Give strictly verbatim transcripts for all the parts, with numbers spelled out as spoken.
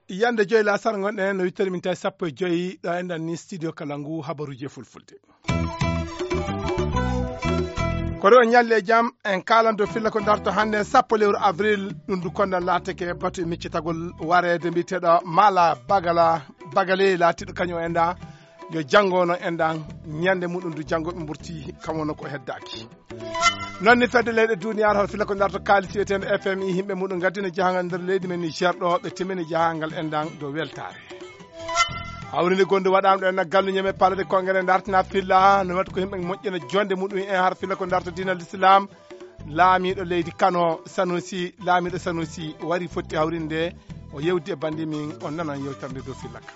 Yande joyi lasara ngonɗen no wittani min tawi sappo e joyi ɗo enɗan ni studio kala ngu habaruji e fulfulde. Koɗo on ñalli e jam en kalanto filla ko darto hannde sappo lewru avril. Ɗum du kondan laatake batu e miccitagol wareede mbiyeteɗo mala bagala bagale laatiɗo kañum o enɗa yo janngo no enɗan ñande muɗum du janngo ɓe mburti kam wonno ko heddaki. Noon ni fedde leyɗe duniyaaru hoto filla ko darto kaalis wiyeteende F M I yimɓe muɗum ngaddina jahangal nder leydi men Niger ɗo ɓe timmini jahangal enɗan dow weltaare. Hawrinde gonde waɗaama ɗo enɗan gallu ñeme palade congrès dartina filla no waɗi ko yimɓe moƴƴina jonde muɗum en har filla ko darto diina l'islam. Laamiiɗo leydi Kano Sanusi laamiiɗo Sanusi wari fotti hawrinde o yewdi e bandi min on nanan yewtande dow filla ka.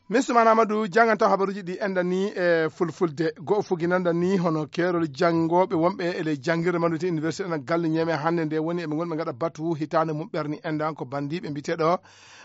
Min Suman Amadou jannganto habaruuji ɗi enɗan ni e fulfulde. Go'o fuginanɗan ni hono keerol janngooɓe wonɓe e ley janngirde manndude université ɗan galle ñeeme hannde nde woni eɓe ngonɓe ngaɗa batu hitaande mum ɓerni enɗan ko banndiiɓe mbiyeteeɗo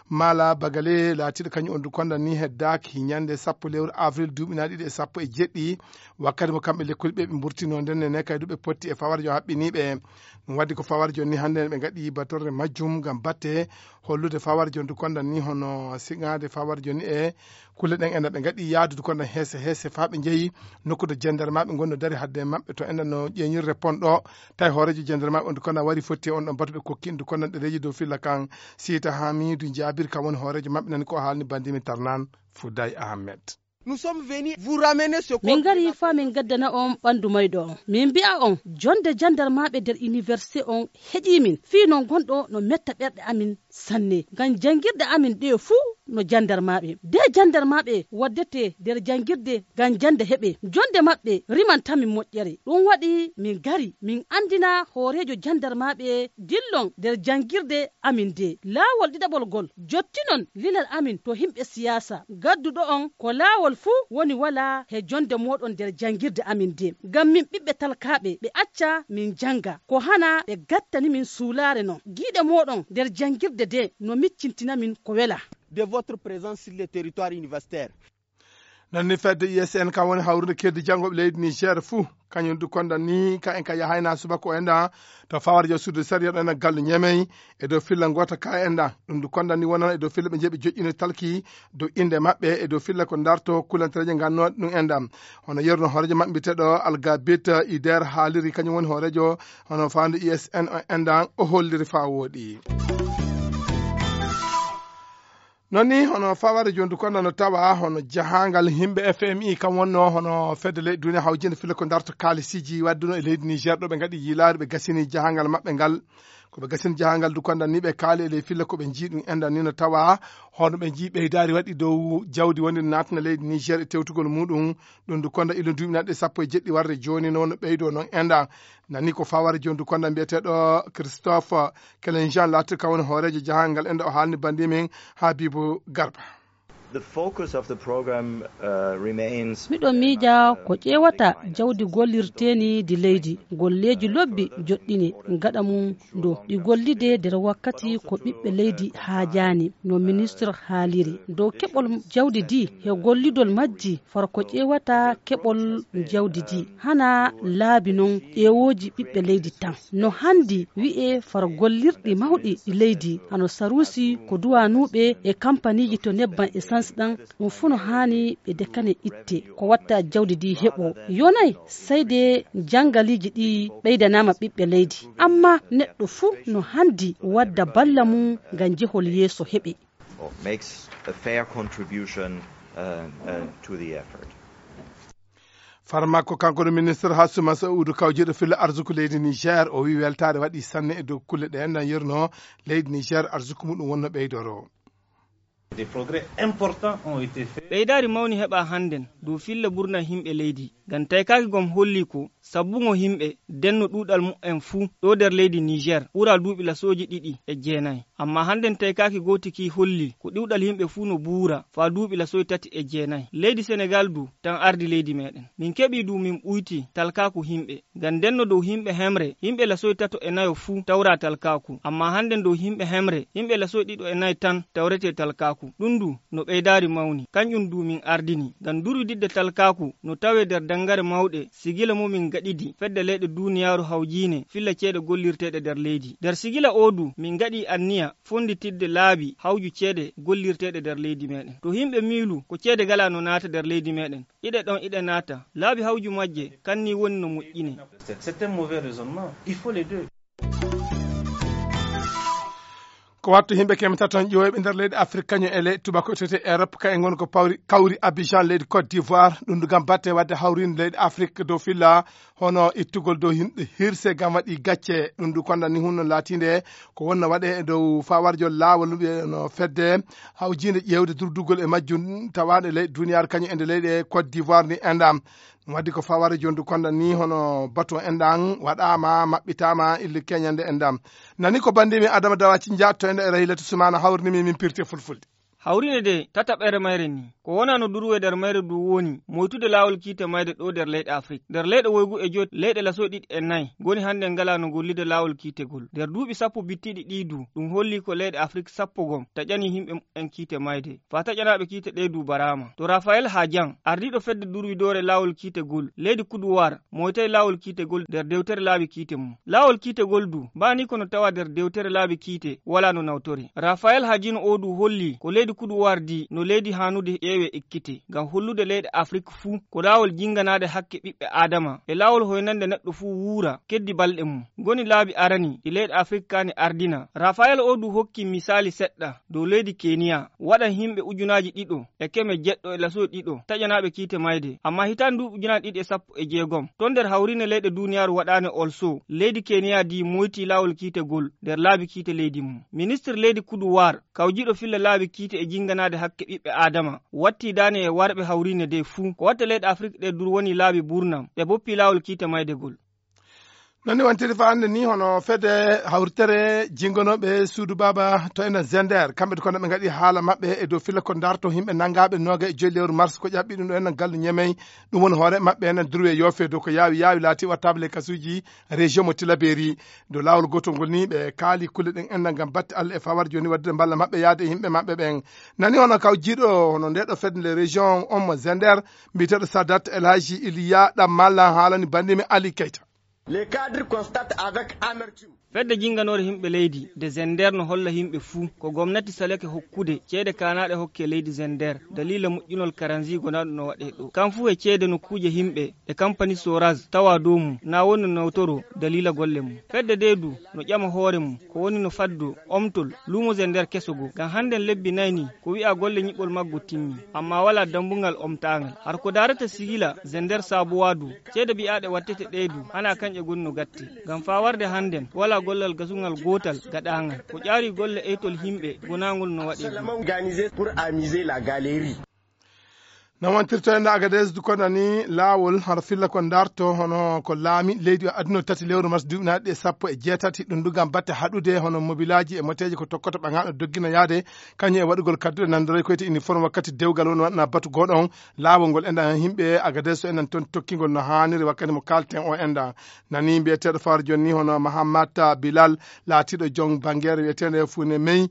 mala bagale laatiiɗo kañum on du konɗan ni heddaaki ñannde sappo lewru avril duuɓi na ɗiɗi e sappo e jeɗɗi. Wakkati mo kamɓe lekkol ɓe ɓe mburtino nden ne kay du ɓe potti e fawarjo haɓɓiniiɓe. Ɗum waddi ko fawarjo ni hannde ɓe ngaɗi batorde majjum ngam batte hollude fawarjo ndu kondan ni hono siŋaade fawarjo ni e kulle ɗen ena ɓe ngaɗi yaadude kondan heese heese faa ɓe njeyi nokkude jendarmaaɓe ngonno dari hadde maɓɓe to ena no ƴeeñirde pon ɗo. Tawi hooreejo jendarmaaɓe on du kondan wari fotti e on ɗon batu ɓe kokki ndu kondan ɗereeji dow filla kan. Siita Hamidu Jaabir kam woni hooreejo maɓɓe nani ko haalni bandimi Tarnan Fuday Ahmed. Nous sommes venus vous ramener ce min ngari faa min ngaddana on ɓanndu mayɗo on min mbi'a on jonde jandarmaaɓe nder université on heƴii min fii no ngonɗo no metta ɓerɗe amin sanne ngam janngirɗe amin ɗe fuu no jandarmaaɓe de jandarmaaɓe waddete nder janngirde ngam jannde heɓe jonde maɓɓe rimantamin moƴƴere ɗum waɗi min ngari min anndina hooreejo jandarmaaɓe dillon nder janngirde amin de laawol ɗiɗaɓol ngol jottinon lilal amin to himɓe siyaasa gadduɗo on ko laawol fuu woni walaa he jonde mooɗon nder janngirde amin de ngam min ɓiɓɓe talkaaɓe ɓe acca min jannga ko hana ɓe gattani min suulaare non giiɗe mooɗon nder janngirde de no miccintina min ko wela de votre présence sur le territoire universitaire. Nanni fedde U S N kam woni hawrude keddi janngooɓe leydi Niger fuu kañum du kondan ni ka en ka yahayna subaka o enɗan to fawarjo sudde sariya ɗo ena gallu ñemey e dow filla ngoota ka enɗan ɗum du kondan ni wonan e dow filla ɓe jeeɓi joƴƴino talki dow innde maɓɓe e dow filla ko darto kulantereeje ngannooɗe ɗum enɗan. Hono yeruno hooreejo maɓɓe mbiyeteeɗo Algabit Ider haaliri kañum woni hooreejo hono faandu U S N o enɗan o holliri faa wooɗi. Noon ni hono faware jondu kono no tawa hono jahangal himɓe F M I kam wonno hono fedde leyɗe duniya hawjinde filla ko darto kalisiji wadduno e leydi Niger ɗo ɓe ngaɗi yilaare ɓe gasini jahangal maɓɓe ngal. Ko ɓe gasini jahangal du kondan ni ɓe kaali e ley filla ko ɓe jii ɗum endan ni no tawa hono ɓe jii ɓeydaari waɗi dow jawdi wonde natna leydi Niger e tewtugol muɗum. Ɗum du konda ilo duuɓi naɗɗe sappo e jeɗɗi warde jooni noon ɓeydo noon endan. Nani ko faware jondu konda mbiyeteɗo Christophe Kelenjan laati ka woni hooreejo jahangal enda o haalni bandi min Habibu Garba. The focus of the program uh, remains miɗo miija ko ƴeewata jawdi gollirteeni di leydi golleeji lobbi joɗɗini gaɗa mum do ɗi gollide nder wakkati ko ɓiɓɓe leydi haajaani no ministre haaliri dow keɓol jawdi di he gollidol majji faro ko ƴeewata keɓol jawdi di hana laabi noon ƴeewooji ɓiɓɓe leydi tan no hanndi wi'e faro gollirɗi mawɗi ɗi leydi hano saruusi ko duwanuuɓe e kampaniiji to nebban essence ɗan ɗum fuu no haani ɓe dekane itte ko watta jawdi di heɓo yonay sayde janngaliiji ɗi ɓeydanaama ɓiɓɓe leydi amma neɗɗo fuu no hanndi wadda balla mum ngam jehol yeeso heɓe or makes a fair contribution uh, uh, to the effort. Far makko kanko ɗo ministre Hassouma Saoudou kawjiɗo filla arsuku leydi Niger o wi weltaare waɗi sanne e dow kulle ɗe enɗan yerno leydi Niger arsuku muɗum wonno ɓeydoro. Des progrès importants ont été faits. Ɓeydaari mawni heɓa hannden dow filla ɓurna himɓe leydi. Ngam taykaaki gom hollii ko sabbuŋo yimɓe denno ɗuuɗal mu'en fuu ɗo nder leydi Niijeer ɓura duuɓi lasooji ɗiɗi e jeenayi. Ammaa hannden taykaaki gooti ki hollii ko ɗuuɗal yimɓe fuu no buura faa duuɓi lasooji tati e jeenayi. Leydi Senegaal du tan ardi leydi meeɗen. Min keɓii du min ɓuyti talkaaku yimɓe. Ngam ndenno dow yimɓe hemre, yimɓe lasooji tato e nayo fuu tawraa talkaaku. Ammaa hannden dow yimɓe hemre, yimɓe lasooji ɗiɗo e nayi tan tawretee talkaaku. Ɗum du no ɓeydaari mawni. Kanƴum du min ardini. Ngam durwididde talkaaku no tawee nder danngare mawɗe, sigila mo min ngaɗidi fedde leyɗe duuniyaaru hawjiine filla ceede gollirteeɗe nder leydi. Nder sigila oo du, min ngaɗi anniya fonnditidde laabi hawju ceede gollirteeɗe nder leydi meeɗen. To yimɓe miilu ko ceede ngalaa no naata nder leydi meeɗen, iɗe ɗon iɗe naata. Laabi hawju majje, kan ni woni no moƴƴinee. C'est un mauvais raisonnement. Il faut les deux. Ko wattu yimɓe keme tato ƴooyɓe nder leydi Afrik kañum e leyɗe tubako tete Europe, kayen ngon ko pawri, kawri Abidjan, leydi Côte d'Ivoire, ɗum du ngam batte waɗde hawrinde leydi Afrik dow filla, hono ittugol dow yimɓe hirse ngam waɗi gacce. Ɗum du konda ni hunno laatinde ko wonno waɗe e dow fawarjo laawol wi'e no fedde hawjinde ƴeewde durdugol e majjum tawaɗe leyɗe duniyaaru kañum e nde leyɗe Côte d'Ivoire ni enɗam. Ɗum waɗi ko faware jondu konda ni hono batu enɗam waɗaama, maɓɓitaama ille keñande enɗam. Nani ko bandimi Adama Dawaci jaatto enɗo e Rahilatu Sumana hawrini mi min pirte fulfulde. Hawrine de tataɓere mayre ni. Ko wona no durwe nder mayre du woni moytude laawol kiite mayde ɗo nder leyɗe Afrik. Nder leyɗe woygu e joyi leyɗe laso ɗiɗi e nayi ngoni hannde ngala no gollide laawol kiite gol. Nder duuɓi sappo bittiɗi ɗi du ɗum holli ko leyɗe Afrik sappo gom taƴani yimɓe mumen kiite mayde. Faa taƴanaaɓe kiite ɗe du baraama. To Rafael Hajan, ardiiɗo fedde durwidoore laawol kiite gol, leydi Kuduwaar, moytay laawol kiite gol nder dewtere laabi kiite mum. Laawol kiite gol du, baa ni ko no tawa nder dewtere laabi kiite, walaa no nawtore. Rafael Hajin oo du holli ko leydi Kuduwaar di no leydi haanude ƴeewe ekkite, ngam hollude leyɗe Afrik fuu ko laawol jinganaade hakke ɓiɓɓe Aadama, e laawol hoynande neɗɗo fuu wuura, keddi balɗe mum. Ngoni laabi arani ɗi leyɗe Afrik kaani ardina. Rafael oo du hokki misaali seɗɗa dow leydi Keniya, waɗan yimɓe ujunaaji ɗiɗo e keme jeɗɗo e laso ɗiɗo taƴanaaɓe kiite mayde. Ammaa hitaande duuɓi ujunaaji ɗiɗi e sappo e jeegom, ton nder hawriine leyɗe duuniyaaru waɗaane olso, leydi Keniya di moyti laawol kiite gol nder laabi kiite leydi mum. Ministir leydi Kuduwaar, kawjiiɗo filla laabi kiite e jinganaade hakke ɓiɓɓe Aadama, watti daane e warɓe hawriine de fuu. Ko watta leyɗe Afrik ɗe dur woni laabi burnam, ɓe boppi laawol kiite mayde gol. Nani wantiri fa hannde ni hono fedde hawritere jingonooɓe suudu baaba to enen Zender, kamɓe ko ɓe ngaɗi haala maɓɓe e dow filla ko darto yimɓe nangaaɓe nooga e joyi lewru mars ko ƴaɓɓi ɗum ɗo enen gallu Ñemey, ɗum woni hoore maɓɓe enen durwe yoofe dow ko yaawi yaawi laati wattaaɓe le kasuuji région mo Tilaberi. Dow laawol gootol ngol ni ɓe kaali kulle ɗen enen ngam batte Allah e fawar jooni waɗde mballa maɓɓe yaade e yimɓe maɓɓe ɓen. Nani hono kaw jiiɗo hono nde ɗo fedde le région on mo Zender, mbiyeteeɗo Sadat El Hadji Iliya ɗam malla haalani bandimi Ali Keita. Les cadres constatent avec amertume. Fedde jinganoore yimɓe leydi de Zender no holla yimɓe fuu ko gomnati salake hokkude ceede kaanaaɗe hokke leydi Zender daliila moƴƴinol karanzi gonaaɗo no waɗee ɗo. Kam fuu e ceede nokkuuje yimɓe e kampani Soraz tawa dow mum na woni no nawtoro daliila golle mum. Fedde de du no ƴama hoore mum ko woni no faddo omtol luumo Zender keso goo. Ngam hannden lebbi nay ni ko wi'a golle nyiɓol maggo timmi, ammaa walaa dambugal omtaangal. Har ko daarata sigila Zender Sabuwa du, ceede bi'aaɗe wattete ɗee du, hanaa kañƴe ngoni no gatti. Ngam faa warde hannden, walaa gollal gasungal gootal gaɗaangal. Ko ƴaari golle eytol yimɓe gonaangol no waɗee ɗum. Seulement organisé pour amuser la galerie. No wontirto en Agadez du kono ni laawol hara filla ko darto hono ko laami leydi o aduna tati lewru mars duuɓi naaɗi e sappo e jeetati, ɗum du ngam batte haɗude hono mobilaaji e moteeji ko tokkoto ɓaŋaaɗo doggina yaade kañum e waɗugol kadduɗe nanndoroy koyte uniforme wakkati dewgal woni waɗna batu gooɗo on. Laawol ngol enɗan yimɓe Agadez so enɗan toon tokkingol no haaniri wakkati mo kaalten o enɗan. Nani mbiyeteeɗo fawar jooni ni hono Mahamat Bilal laatiiɗo joom banngeere wiyeteende Fuune Mey,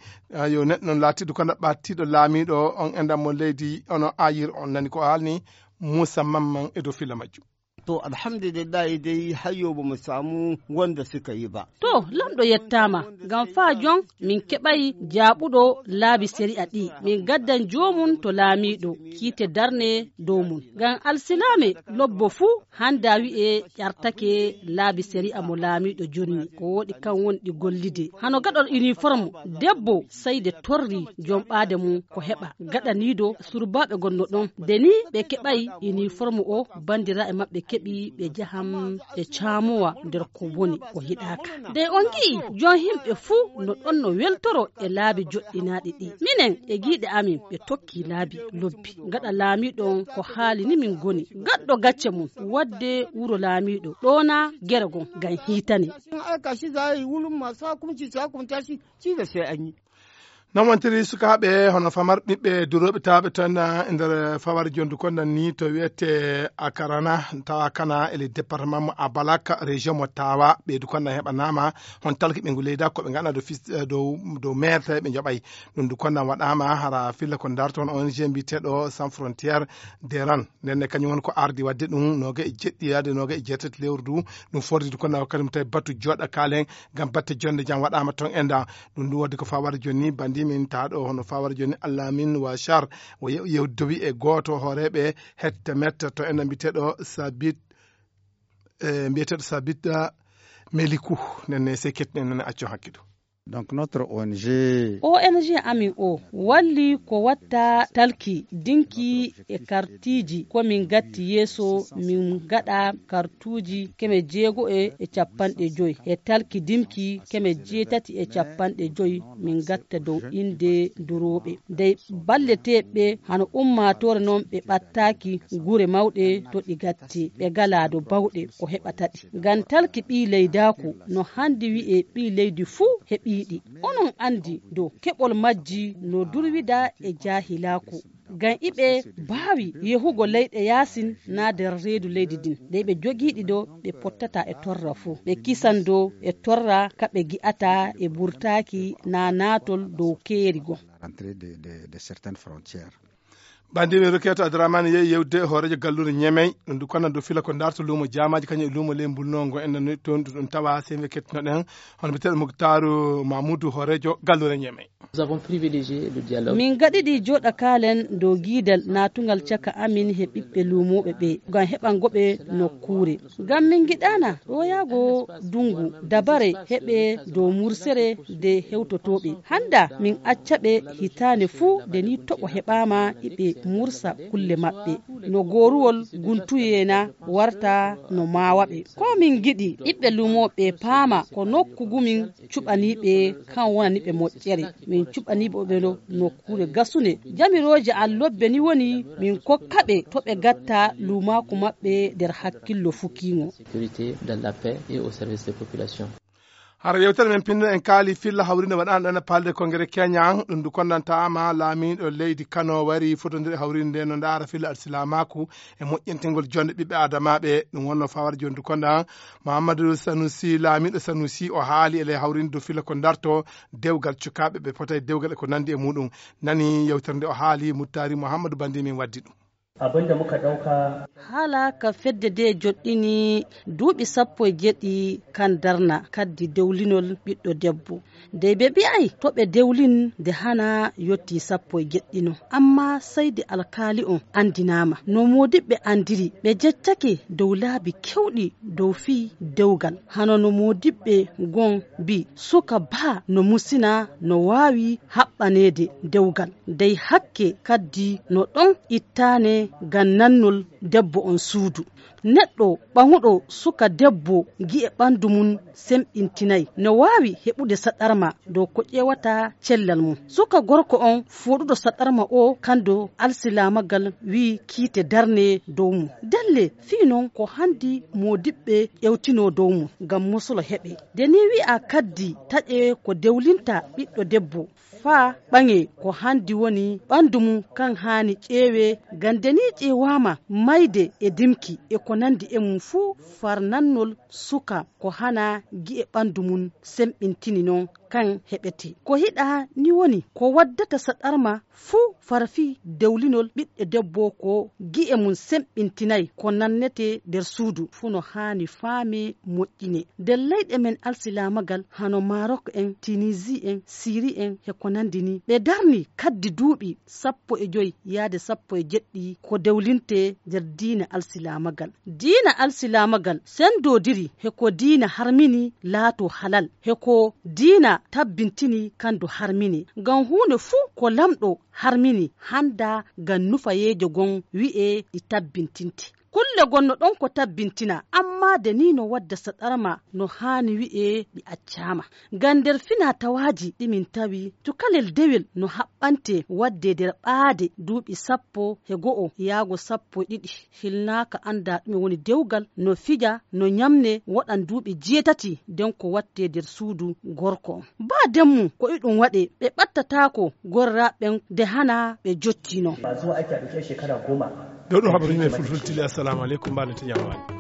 yo neɗɗo noon laatiiɗo kono ɓattiiɗo laamiiɗo on enɗan mo leydi ono ayir on. Nani ko haalni Muusa Mamman e dow filla majjum. To, alhamdulillahi dey, hayyo bo mu samu wanda suka yi ba. To, Lanɗo yettaama, ngam faa jon min keɓay jaaɓuɗo laabi sari'a ɗi. Min gaddan joomum to laamiiɗo, kiite darne dow mum. Ngam alsilaame lobbo fuu hannda wi'e ƴartake laabi sari'a mo laamiiɗo jonni. Ko wooɗi kan woni ɗi gollide. Hano gaɗol uniforme, debbo sey de torri jom ɓaade mum ko heɓa. Gaɗaniido surbaaɓe gonno ɗon. De ni ɓe keɓay uniforme o, banndiraaɓe maɓɓe keɓi. Ɓi ɓe njaham ɓe caamowa nder ko woni ko yiɗaaka. Dey on ngi'i, jon yimɓe fuu no ɗon no weltoro e laabi joɗɗinaaɗi ɗi. Minen e giiɗe amin ɓe tokki laabi lobbi. Gaɗa laamiiɗo on ko haali ni min ngoni. Gaɗɗo gacce mum, waɗde wuro laamiiɗo, ɗoona gere gon ngam hiitane. Ci da sai an yi. Non wontiri sukaaɓe hono famar ɓiɓɓe durooɓe taaɓe toon e nder fawar jondu kondan ni to wiyete Akarana, tawa kana e le département mo Abalak, région mo Tawa. Ɓeydu kondan heɓanaama hon talki ɓe ngu leyda ko ɓe ngaɗa dow fis-, eh, dow, dow meerte ɓe njoɓay. Ɗum du kondan waɗaama hara filla ko darto on O N G mbiyeteeɗo Sans Frontières Deran. Nden ne kañum woni ko ardi waɗde ɗum nooga e jeɗɗi yaade nooga e jeetati lewru du. Ɗum fordi du kondan wakkati mo tawi batu joɗa kaalen ngam batte jonde jam waɗaama toon e nda. Ɗum ɗum waɗi ko fawar joni, bandi min taɗo hono fawar joni Allamin Washar, o ye-, yewdowi e gooto hooreeɓe hette metta to ena mbiyeteeɗo Sabit, e mbiyeteeɗo Sabit, ah, Meliku. Nden ne sey kettinen nen acco hakkido. Donc notre O N G. O N G amin o walli ko watta talki, dinki e kartiji ko min gatti yeeso min gaɗa kartuji keme jeego e capanɗe joy e talki dimki keme jeetati e capanɗe joy min gatta dow inde durooɓe. Dey balleteeɓe hano ummaatoore non ɓe ɓattaaki gure mawɗe to ɗi gatti ɓe galaa do bawɗe ko heɓata ɗi. Ngam talki ɓii leydaaku no handi wi'e ɓii leydi fuu heɓiiɗi. Onon andi dow keɓol majji no durwida e jaahilaaku. Ngam iɓe baawi yehugo leyɗe yaasin naa nder reedu leydi din. Nde ɓe jogiiɗi dow ɓe pottata e torra fuu. Ɓe kisan dow e torra ka ɓe gi'ata e burtaaki naa naatol dow keeri goo. Rentrée de, de, de certaines frontières. Bandiɓe Roketo Adramani yehi yewde hooreejo galluure Ñemey, ɗum du kono du fila ko darto luumo jaamaaji kañum e luumo ley mbulnongo en nani toon ɗum tawa sembe kettinoɗen hono mbiyeteeɗo Muktaaru Mamudu hooreejo galluure Ñemey. Nous avons privilégié le dialogue. Min gaɗiɗi joɗa kaalen dow giidal natungal caka amin he ɓiɓɓe luumooɓe ɓe ngam heɓango ɓe nokkuure. Ngam min ngiɗaana ɗoyaago dungu dabare heɓe dow mursere de hewtotooɓe. Handa min acca ɓe hitaande fuu de ni toɓo heɓaama iɓe mursa kulle maɓɓe. No gooruwol guntuyeena warta no maawa ɓe. Ko min ngiɗi ɓiɓɓe luumooɓe paama ko nokku gumin cuɓaniiɓe kan wonani ɓe moƴƴere. Min cuɓaniiɓe ɓe no nokkuure gasunde. Jamirooje an lobbe ni woni min kokka ɓe to ɓe gatta luumaaku maɓɓe nder hakkillo fukiingo. Sécurité, dans la paix et au service des populations. Hara yewtere men pinno en kaali filla hawrinde waɗaano ɗon e palde kongere Kenya, ɗum ndu konnantaama laamiiɗo leydi Kano wari fotondire hawrinde no ndaara filla alsilaamaaku e moƴƴintingol jonde ɓiɓɓe adamaaɓe. Ɗum wonno fawar jondu konda Muhammadu Sanusi, laamiiɗo Sanusi o haali e ley hawrinde dow filla ko darto dewgal cukaaɓe ɓe pota e dewgal e ko nandi e muɗum. Nani yewtere nde o haali Muttari Muhammadu Bandi min waddi ɗum. Abin da muka ɗauka. Haala ka fedde de joɗɗini duuɓi sappo e jeɗɗi kan darna kaddi dewlinol ɓiɗɗo debbo. Dey ɓe mbi'ay to ɓe dewlin de hana yotti sappo e jeɗɗino. Amma saydi alkaali on andinaama. No moodiɓɓe andiri ɓe jeccake dow laabi kewɗi dow fii dewgal. Hano no moodiɓɓe gon mbi suka baa no musina no waawi haɓɓaneede dewgal. Dey hakke kaddi no ɗon ittaane ngam nannol debbo on suudu. Neɗɗo ɓaŋuɗo suka debbo gi'e ɓandu mum semɓintinay. No waawi heɓude saɗarma dow ko ƴeewata cellal mum. Suka gorko on fooɗuɗo saɗarma o kando alsilaamagal wi'i kiite darne dow mum. Delle fii non ko handi moodiɓɓe ƴewtino dow mum ngam mosolo heɓe. De ni wi'a kaddi taƴe ko dewlinta ɓiɗɗo debbo. Faa ɓaŋe ko handi woni ɓandu mum kan haani ƴeewe, ngam de ni ƴeewaama mayde e dimki e ko nandi e mum fuu far nannol suka ko hana gi'e ɓandu mum semɓintini non kan heɓete. Ko hiɗa ni woni ko waddata saɗarma fuu far fii dewlinol ɓiɗɗo debbo ko gi'e mum semɓintinay ko nannete nder suudu fuu no haani faame moƴƴine. Nder leyɗe men alsilaamagal hano Marok en, Tunisie en, Syrie en he ko nandi ni. Ɓe darni kaddi duuɓi sappo e joy yaade sappo e jeɗɗi ko dewlinte nder diina alsilaamagal. Diina alsilaamagal sendoodiri he ko diina harmini laato halal, he ko diina tabbintini kandu harmini. Ngam huunde fuu ko lamɗo harmini handa ngam nufayeejo gon wi'e ɗi tabbintinte. Kulle gonno ɗon ko tabbintina, amma de ni no wadda saɗarma no haani wi'ee ɗi accaama. Ngam nder fina tawaaji ɗi min tawi, cukalel dewel no haɓɓante waɗde nder ɓaade duuɓi sappo e go'o yaago sappo e ɗiɗi. Hilnaaka anndaa ɗume woni dewgal, no fija, no ñamne, woɗan duuɓi jeetati, nden ko waɗte nder suudu gorko. Baa demmu ko iɗum waɗe, ɓe ɓattataako gorraaɓe ɓen de hana ɓe jottino. Ba zuwa ake a ɗauke shekara goma. Ɗo ɗum habaru yimɓe fulfulde tili. Assalamu aleykum, mbaɗa tigi ñaama waali.